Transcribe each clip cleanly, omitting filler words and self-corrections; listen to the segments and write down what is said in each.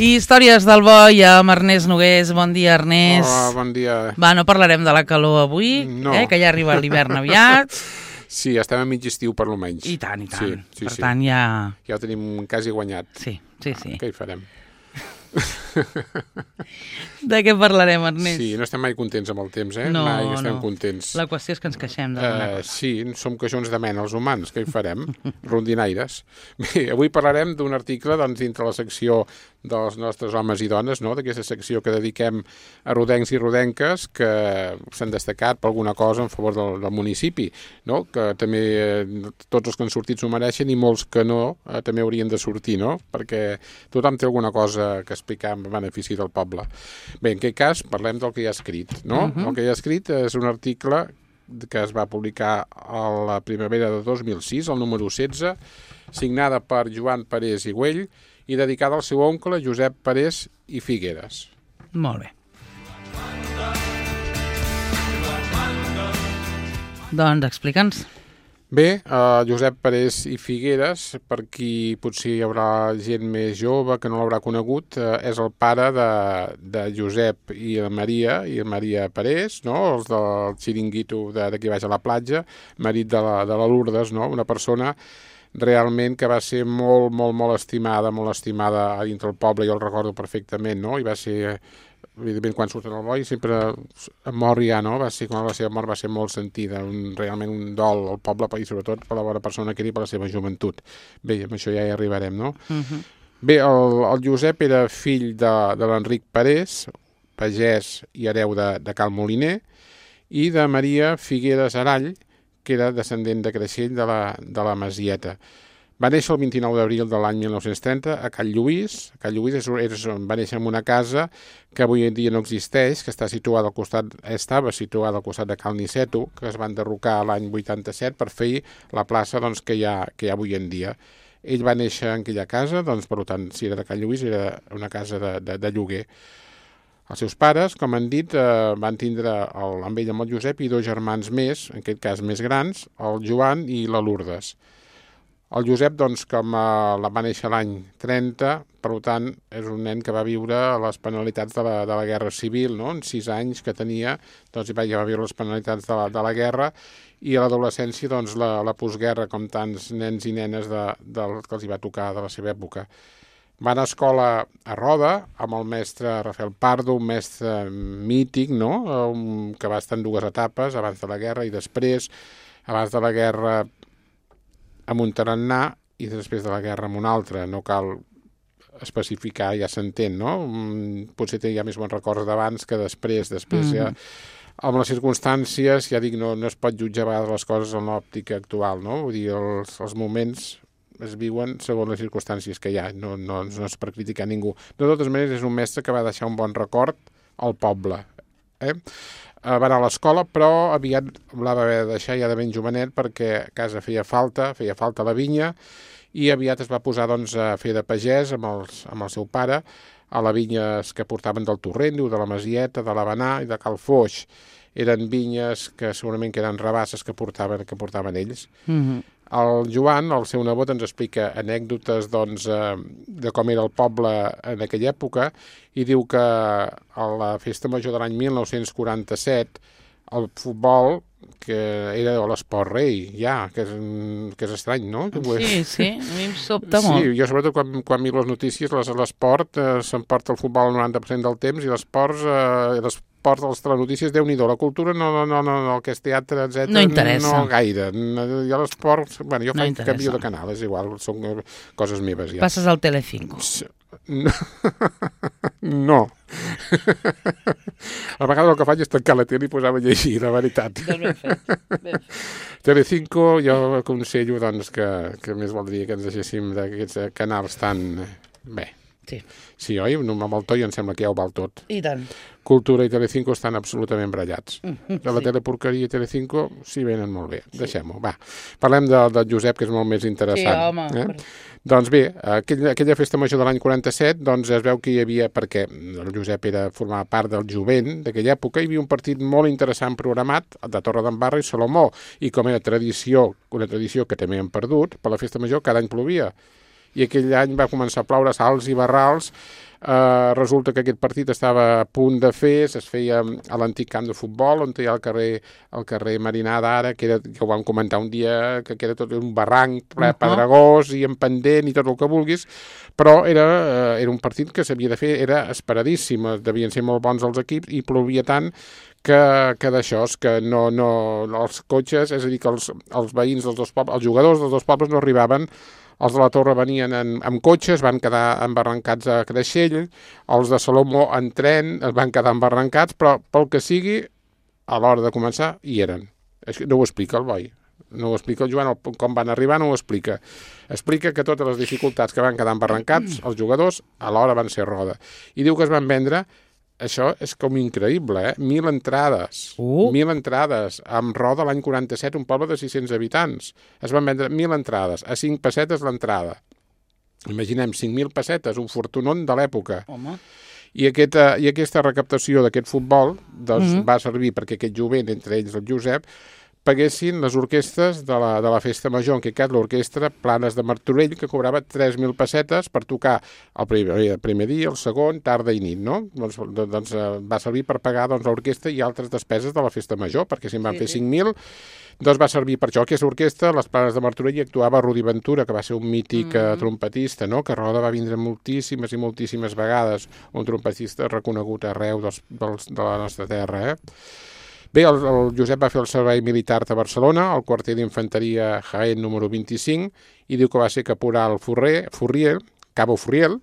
I històries del boi amb Ernest Nogués. Bon dia, Ernest. Hola, bon dia. Va, no parlarem de la calor avui, que ja arriba l'hivern aviat. Sí, estem a mig estiu per lo menys. I tant, i tant. Sí, per tant, ja... Ja ho tenim quasi guanyat. Sí. Què hi farem? De què parlarem, Ernest? Sí, no estem mai contents amb el temps, No, mai estem contents. La qüestió és que ens queixem d'alguna cosa. Sí, som queixons de mena, els humans, què hi farem? Rondinaires. Bé, avui parlarem d'un article dintre la secció dels nostres homes i dones, d'aquesta secció que dediquem a rodencs i rodenques que s'han destacat per alguna cosa en favor del municipi, que també tots els que han sortit s'ho mereixen i molts que no també haurien de sortir, perquè tothom té alguna cosa que explicar en benefici del poble. Bé, en aquest cas parlem del que hi ha escrit, El que hi ha escrit és un article que es va publicar a la primavera de 2006, el número 16, signada per Joan Parés i Güell i dedicada al seu oncle Josep Parés i Figueres. Molt bé. Doncs explica'ns. Bé, Josep Parés i Figueres, per qui potser hi haurà gent més jove que no l'haurà conegut, és el pare de Josep i Maria Parés, els del xiringuito d'aquí baix a la platja, marit de la Lourdes, una persona realment que va ser molt, molt, molt estimada a dintre el poble, jo el recordo perfectament, i va ser... Evidentment, quan surt en el boi, sempre mor ja, va ser, quan la seva mort va ser molt sentida, realment un dol al poble, i sobretot per la bona persona que era i per la seva joventut. Bé, amb això ja hi arribarem, Bé, el Josep era fill de l'Enric Parés, pagès i hereu de Cal Moliner, i de Maria Figueres Arall, que era descendent de Creixell de la Masieta. Va néixer el 29 d'abril de l'any 1930 a Cal Lluís. Cal Lluís va néixer en una casa que avui en dia no existeix, que estava situada al costat de Cal Niceto, que es va enderrocar l'any 87 per fer la plaça que hi ha avui en dia. Ell va néixer en aquella casa, per tant, si era de Cal Lluís, era una casa de lloguer. Els seus pares, com han dit, van tindre amb ell, amb el Josep, i dos germans més, en aquest cas més grans, el Joan i la Lourdes. El Josep, com va néixer l'any 30, per tant, és un nen que va viure les penalitats de la Guerra Civil, En 6 anys que tenia, ja va viure les penalitats de la guerra, i a l'adolescència, la postguerra, com tants nens i nenes que els hi va tocar de la seva època. Va anar a escola a Roda, amb el mestre Rafael Pardo, un mestre mític, que va estar en 2 etapes, abans de la guerra i després, abans de la guerra amb un tarannà i després de la guerra amb un altre. No cal especificar, ja s'entén, Potser hi ha més bons records d'abans que després. Després ja, amb les circumstàncies, ja dic, no es pot jutjar a vegades les coses en l'òptica actual, Vull dir, els moments es viuen segons les circumstàncies que hi ha, no és per criticar ningú. De totes maneres, és un mestre que va deixar un bon record al poble. Va anar a l'escola, però aviat la va haver de deixar ja de ben jovenet perquè a casa feia falta la vinya, i aviat es va posar a fer de pagès amb el seu pare a les vinyes que portaven del Torrent, de la Masieta, de l'Avenà i de Cal Foix. Eren vinyes que segurament eren rabasses que portaven ells. El Joan, el seu nebot, ens explica anècdotes de com era el poble en aquella època i diu que a la festa major de l'any 1947 el futbol, que era l'esport rei, que és estrany, no? Sí, a mi em sobta molt. Sí, jo sobretot quan miro les notícies, l'esport s'emporta el futbol el 90% del temps i l'esport de les telenotícies, Déu-n'hi-do, la cultura no, el que és teatre, etc. No interessa. No gaire. Jo l'esport, jo canvio de canal, és igual, són coses meves ja. Passes al Telecinco. No. A vegades el que faig és tancar la tele i posar-me a llegir, la veritat. Ben fet. Telecinco, jo aconsello que més voldria que ens deixéssim d'aquests canals tan... Bé. Sí, oi? Amb el to i em sembla que ja ho val tot. I tant. Cultura i Telecinco estan absolutament brallats. De la teleporqueria i Telecinco s'hi venen molt bé. Deixem-ho, va. Parlem del Josep, que és molt més interessant. Sí, home. Doncs bé, aquella festa major de l'any 47, es veu que hi havia, perquè el Josep formava part del jovent d'aquella època, hi havia un partit molt interessant programat de Torredembarra i Salomó, i com era tradició, una tradició que també hem perdut, per la festa major cada any plovia. i aquell any va començar a ploure salts i barrals. Resulta que aquest partit estava a punt de fer, es feia a l'antic camp de futbol, on hi ha el carrer Marinada ara, que ho vam comentar un dia, que era tot un barranc ple pedregós i en pendent i tot el que vulguis, però era un partit que s'havia de fer, era esperadíssim, devien ser molt bons els equips i plovia tant que d'això, que no, els cotxes, és a dir, que els veïns dels dos pobles, els jugadors dels dos pobles no arribaven. Els de la Torre venien amb cotxes, van quedar embarrancats a Creixell, els de Salomó en tren es van quedar embarrancats, però pel que sigui, a l'hora de començar, hi eren. No ho explica el boi, no ho explica el Joan, com van arribar no ho explica. Explica que totes les dificultats que van quedar embarrancats, els jugadors, a l'hora van ser roda. I diu que es van vendre. Això és com increïble, 1.000 entrades. 1.000 entrades. Amb Roda l'any 47, un poble de 600 habitants. Es van vendre 1.000 entrades, a 5 pessetes l'entrada. Imaginem, 5.000 pessetes, un fortunón de l'època. Home. I aquesta recaptació d'aquest futbol doncs, va servir perquè aquest jovent, entre ells el Josep, paguessin les orquestres de la festa major, en aquest cas l'orquestra Planes de Martorell, que cobrava 3.000 pessetes per tocar el primer dia, el segon, tarda i nit, no? Doncs va servir per pagar l'orquestra i altres despeses de la festa major, perquè si en van fer 5.000, doncs va servir per això. Aquesta orquestra, les Planes de Martorell, hi actuava Rudi Ventura, que va ser un mític trompetista, no? Que a Roda va vindre moltíssimes i moltíssimes vegades, un trompetista reconegut arreu de la nostra terra, Bé, el Josep va fer el servei militar de Barcelona, al quarter d'infanteria Jaén número 25, i diu que va ser caporal Furriel, Cabo Furriel,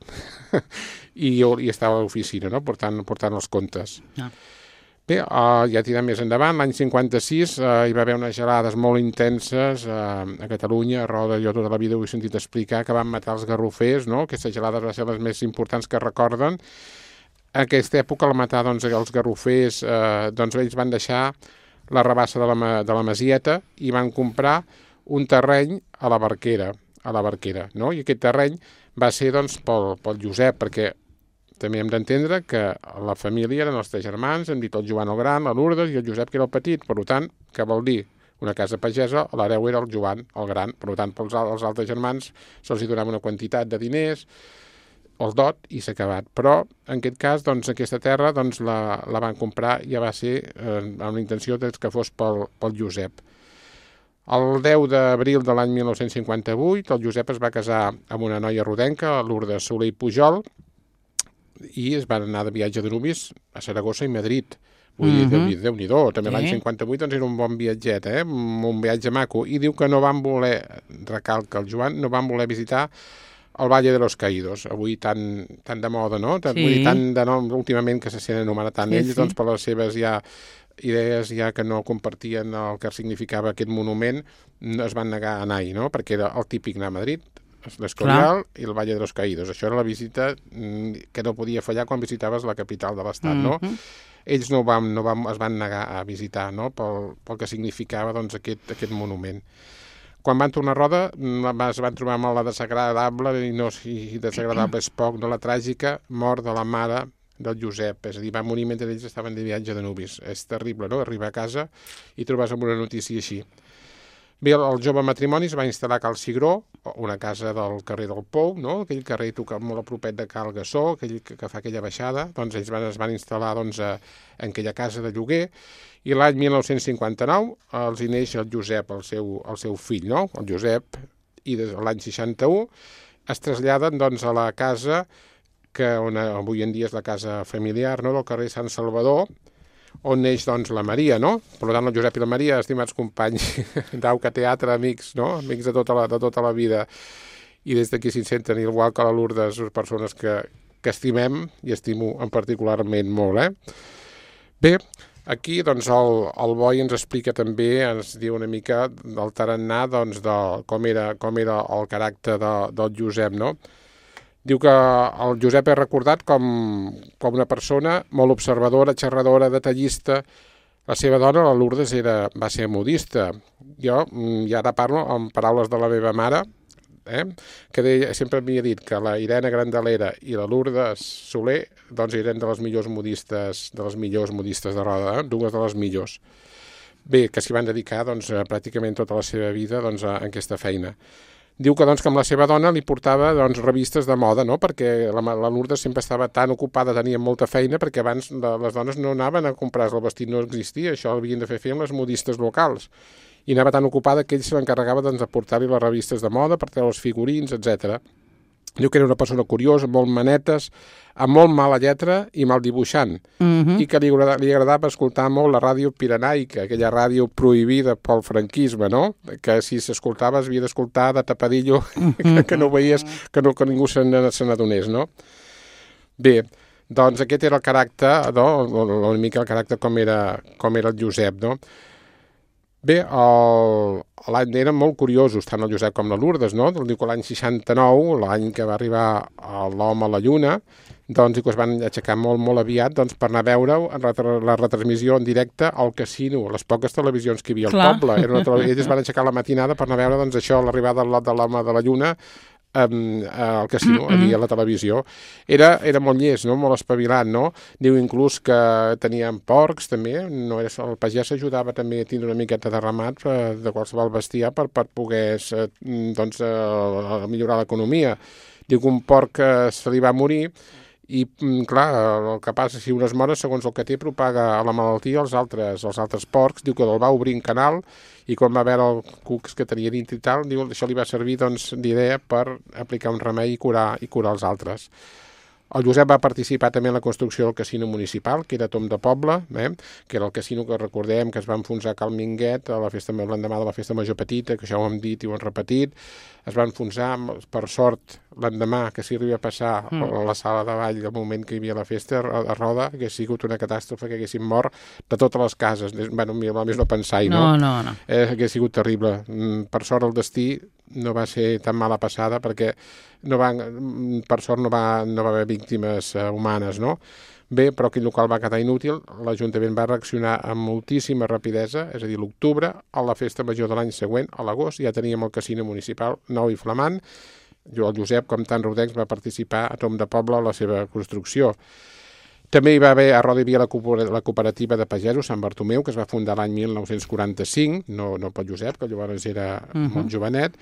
i estava a l'oficina, no? portant els comptes. Bé, ja tirem més endavant, l'any 56 hi va haver unes gelades molt intenses a Catalunya, a Roda, jo tota la vida ho he sentit explicar, que van matar els garrofers, no? Aquestes gelades van ser les més importants que recorden. En aquesta època, al matar els garrofers, ells van deixar la rabassa de la Masieta i van comprar un terreny a la Barquera, no? I aquest terreny va ser pel Josep, perquè també hem d'entendre que la família eren els 3 germans, hem dit el Joan el gran, la Lourdes i el Josep, que era el petit, per tant, què vol dir? Una casa pagesa, l'hereu era el Joan, el gran, per tant, als altres germans se'ls donava una quantitat de diners, el dot, i s'ha acabat. Però, en aquest cas, aquesta terra la van comprar, ja va ser amb la intenció que fos pel Josep. El 10 d'abril de l'any 1958, el Josep es va casar amb una noia rodenca, Lourdes Soler i Pujol, i es van anar de viatge de nuvis a Saragossa i Madrid. Vull dir, Déu-n'hi-do, també l'any 58 era un bon viatget, un viatge maco, i diu que no van voler, recalca el Joan, no van voler visitar el Valle de los Caídos, avui tan de moda, no? Vull dir, tan de nom, últimament que se sent anomenat tant ells, doncs per les seves idees que no compartien el que significava aquest monument, es van negar a anar-hi, no? Perquè era el típic anar a Madrid, l'Escorial i el Valle de los Caídos. Això era la visita que no podia fallar quan visitaves la capital de l'estat, no? Ells es van negar a visitar, no? Pel que significava aquest monument. Quan van tornar a Roda es van trobar amb la desagradable, i desagradable és poc, la tràgica mort de la mare del Josep, és a dir, va morir mentre ells estaven de viatge de nuvis. És terrible, no?, arribar a casa i trobar-se amb una notícia així. Bé, el jove matrimoni es va instal·lar a Cal Cigró, una casa del carrer del Pou, no?, aquell carrer tocat molt a propet de Cal Gassó, aquell que fa aquella baixada, doncs ells es van instal·lar en aquella casa de lloguer, i l'any 1959 els hi neix el Josep, el seu fill, no?, el Josep, i l'any 61 es traslladen a la casa que avui en dia és la casa familiar, no?, del carrer Sant Salvador, on neix la Maria, no? Per tant, el Josep i la Maria, estimats companys d'Auca Teatre, amics, no? Amics de tota la vida, i des d'aquí s'hi senten, igual que la Lourdes, persones que estimem, i estimo en particularment molt, Bé, aquí, el Boi ens explica també, ens diu una mica del tarannà, de com era el caràcter del Josep, no? Diu que el Josep és recordat com una persona molt observadora, xerradora, detallista. La seva dona, la Lourdes, va ser modista. Jo, i ara parlo amb paraules de la meva mare, que sempre m'havia dit que la Irene Grandalera i la Lourdes Soler eren de les millors modistes de Roda, dues de les millors. Bé, que s'hi van dedicar pràcticament tota la seva vida a aquesta feina. Diu que, doncs, que amb la seva dona li portava doncs, revistes de moda, no? Perquè la Lourdes sempre estava tan ocupada, tenia molta feina, perquè abans les dones no anaven a comprar el vestit, no existia, això ho havien de fer amb les modistes locals. I anava tan ocupada que ell se l'encarregava doncs, de portar-li les revistes de moda, per treure els figurins, etc. Diu que era una persona curiosa, molt manetes, amb molt mala lletra i mal dibuixant, i que li agradava escoltar molt la ràdio pirenaica, aquella ràdio prohibida pel franquisme, no? Que si s'escoltava havia d'escoltar de tapadillo, que no veies, que ningú se n'adonés, no? Bé, doncs aquest era el caràcter, no? Una mica el caràcter com era el Josep, no? Bé, l'any eren molt curiosos, tant el Josep com la Lourdes, no? Diu que l'any 69, l'any que va arribar l'home a la Lluna, doncs diu que es van aixecar molt, molt aviat doncs, per anar a veure la retransmissió en directe al casino, les poques televisions que hi havia al poble. Ells es van aixecar a la matinada per anar a veure doncs, això, l'arribada de l'home de la Lluna, al casino, allí a la televisió. Era molt llest, no? Molt espavilat, no? Diu inclús que tenien porcs també, el pagès ajudava també a tindre una miqueta de ramat de qualsevol bestiar per poder doncs, millorar l'economia. Diu que un porc se li va morir i, clar, el que passa, si un es mor, segons el que té, propaga la malaltia als altres porcs. Diu que el va obrir un canal i quan va veure el cucs que tenia dintre i tal, diu que això li va servir doncs, d'idea per aplicar un remei i curar els altres. El Josep va participar també en la construcció del casino municipal, que era Tom de Poble, que era el casino que recordem que es va enfonsar a Cal Minguet l'endemà de la festa major petita, que això ho hem dit i ho hem repetit. Es va enfonsar, per sort, l'endemà que s'hi arriba a passar a la sala de ball del moment que hi havia la festa a Roda, que hagués sigut una catàstrofe, que haguessin mort de totes les cases. Bueno, a més no pensar-hi, no? No. Hagués sigut terrible. Per sort el destí no va ser tan mala passada perquè per sort no va haver víctimes humanes, no? Bé, però aquell local va quedar inútil, l'Ajuntament va reaccionar amb moltíssima rapidesa, és a dir, l'octubre, a la festa major de l'any següent, a l'agost, ja teníem el casino municipal nou i flamant. El Josep, com tant rodencs, va participar a Tom de Poble a la seva construcció. També hi va haver, a Roda hi havia la cooperativa de pagesos Sant Bartomeu, que es va fundar l'any 1945, no pel Josep, que llavors era molt jovenet,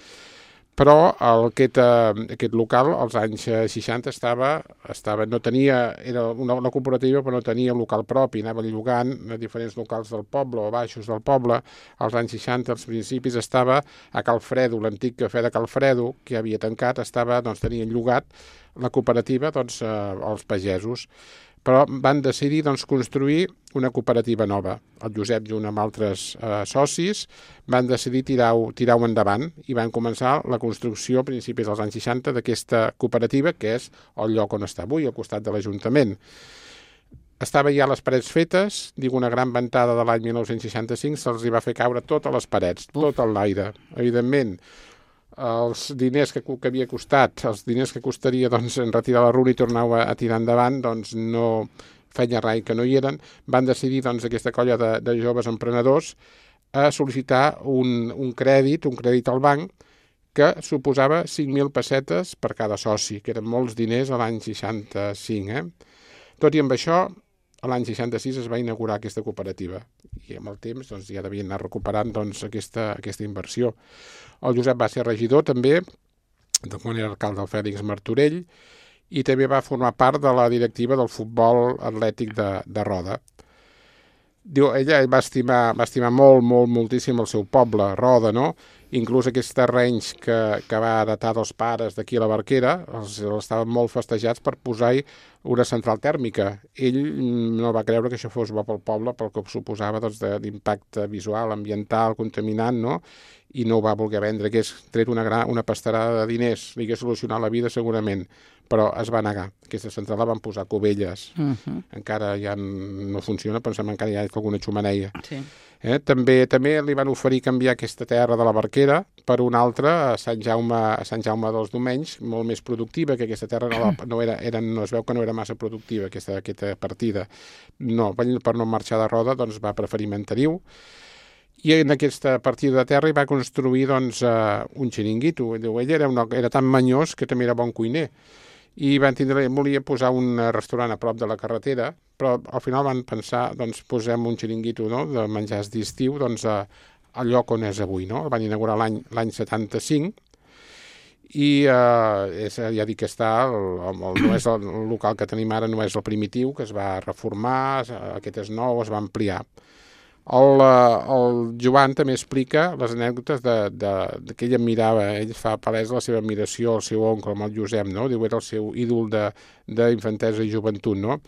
però aquest local als anys 60 era una cooperativa però no tenia un local propi, anava llogant a diferents locals del poble o baixos del poble. Als anys 60, als principis, estava a Calfredo, l'antic cafè de Calfredo, que havia tancat, tenien llogat la cooperativa als pagesos. Però van decidir construir una cooperativa nova. El Josep, junt amb altres socis, van decidir tirar-ho endavant i van començar la construcció a principis dels anys 60 d'aquesta cooperativa, que és el lloc on està avui, al costat de l'Ajuntament. Estava ja les parets fetes, diu una gran ventada de l'any 1965, se'ls va fer caure totes les parets, tot l'aire. Evidentment, els diners que havia costat, els diners que costaria en retirar la runa i tornar a tirar endavant, no feia rai que no hi eren. Van decidir aquesta colla de joves emprenedors a sol·licitar un crèdit al banc que suposava 5.000 pessetes per cada soci, que eren molts diners a l'any 65. Tot i amb això, a l'any 66 es va inaugurar aquesta cooperativa i amb el temps ja devien anar recuperant aquesta inversió. El Josep va ser regidor també, quan era alcalde del Fèlix Martorell, i també va formar part de la directiva del futbol atlètic de Roda. Diu, ella va estimar moltíssim el seu poble, Roda, no? Inclús aquests terrenys que va heretar dels pares d'aquí a la Barquera, els estaven molt festejats per posar-hi una central tèrmica. Ell no va creure que això fos bo pel poble, pel que suposava d'impacte visual, ambiental, contaminant, no? I no ho va voler vendre, que hagués tret una pastarada de diners, li hagués solucionat la vida segurament, però es va negar. Aquesta central la van posar a Cubelles. Encara ja no funciona, pensem encara hi ha alguna xumeneia. Sí. També li van oferir canviar aquesta terra de la Barquera per una altra a Sant Jaume dels Domenys, molt més productiva, que aquesta terra no es veu que no era massa productiva, aquesta partida. No, per no marxar de Roda, va preferir Manteriu. I en aquesta partida de terra hi va construir un xiringuito. Ell era tan manyós que també era bon cuiner. I volia posar un restaurant a prop de la carretera, però al final van pensar, posem un xiringuito de menjars d'estiu al lloc on és avui. No? El van inaugurar l'any 75 i ja dic que està, no és el local que tenim ara, no és el primitiu, que es va reformar, aquest és nou, es va ampliar. El Joan també explica les anècdotes que ell admirava, ell fa palesa la seva admiració al seu oncle, amb el Josep, no? Diu, era el seu ídol d'infantesa i joventut, no?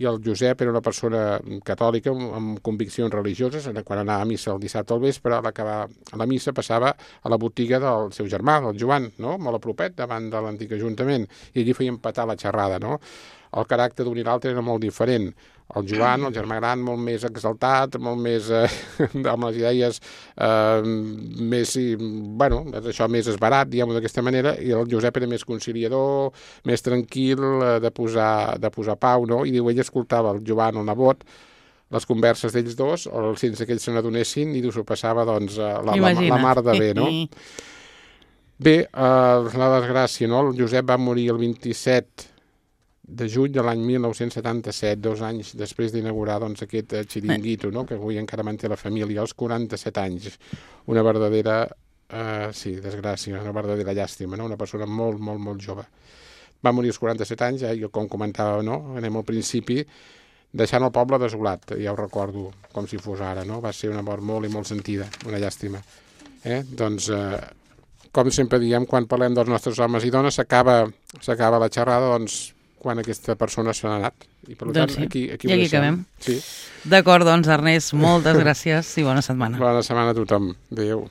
I el Josep era una persona catòlica amb conviccions religioses. Quan anava a missa el dissabte al vespre, a l'acabar la missa passava a la botiga del seu germà, el Joan, no? Molt a propet, davant de l'antic ajuntament, i allí feien petar la xerrada, no? El caràcter d'un i l'altre era molt diferent. El Joan, el germà gran, molt més exaltat, molt més amb les idees més, bueno, això més esbarat, diguem-ho d'aquesta manera, i el Josep era més conciliador, més tranquil, de posar pau, no? I diu, ell escoltava el Joan, el nebot, les converses d'ells dos, sense que ells se n'adonessin, i s'ho passava, doncs, la mar de bé, no? Bé, la desgràcia, no? El Josep va morir el 27 de juny de l'any 1977, 2 anys després d'inaugurar doncs, aquest xiringuito, no? Que avui encara manté la família, als 47 anys. Una verdadera, desgràcia, una verdadera llàstima, no? Una persona molt, molt, molt jove. Va morir als 47 anys, com comentava, no? Anem al principi, deixant el poble desolat, ja ho recordo com si fos ara, no? Va ser una mort molt i molt sentida, una llàstima. Doncs, com sempre diem, quan parlem dels nostres homes i dones, s'acaba la xerrada, doncs, quan aquesta persona se n'ha anat. I per tant, aquí acabem. Sí. D'acord, doncs, Ernest, moltes gràcies i bona setmana. Bona setmana a tothom. Adéu.